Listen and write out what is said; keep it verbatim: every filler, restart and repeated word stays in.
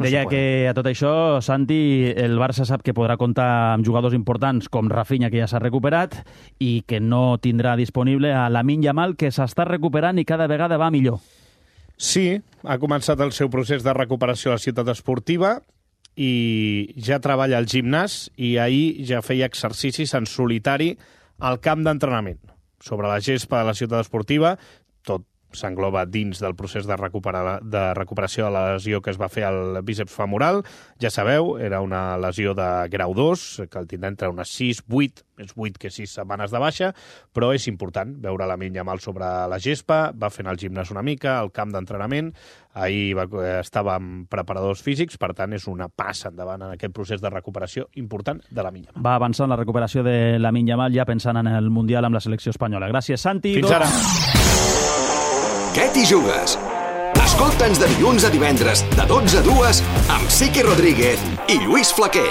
Deia se que a tot això, Santi, el Barça sap que podrà comptar amb jugadors importants com Rafinha, que ja s'ha recuperat, i que no tindrà disponible a Lamine Yamal, que s'està recuperant i cada vegada va millor. Sí, ha començat el seu procés de recuperació a la ciutat esportiva i ja treballa al gimnàs i ahir ja feia exercicis en solitari al camp d'entrenament. Sobre la gespa de la ciutat esportiva, tot s'engloba dins del procés de, recuperar, de recuperació de la lesió que es va fer al bíceps femoral. Ja sabeu, era una lesió de grau dos, que el tindrà entre unes sis, vuit, més vuit que sis setmanes de baixa, però és important veure Lamine Yamal sobre la gespa, va fent el gimnàs una mica, al camp d'entrenament, ahir va, estava amb preparadors físics, per tant és una passa endavant en aquest procés de recuperació important de Lamine Yamal. Va avançant la recuperació de Lamine Yamal ja pensant en el Mundial amb la selecció espanyola. Gràcies, Santi. Fins ara. Què t'hi jugues? Escolta'ns de dilluns a divendres, de dotze a dues, amb Siqui Rodríguez i Lluís Flaquer.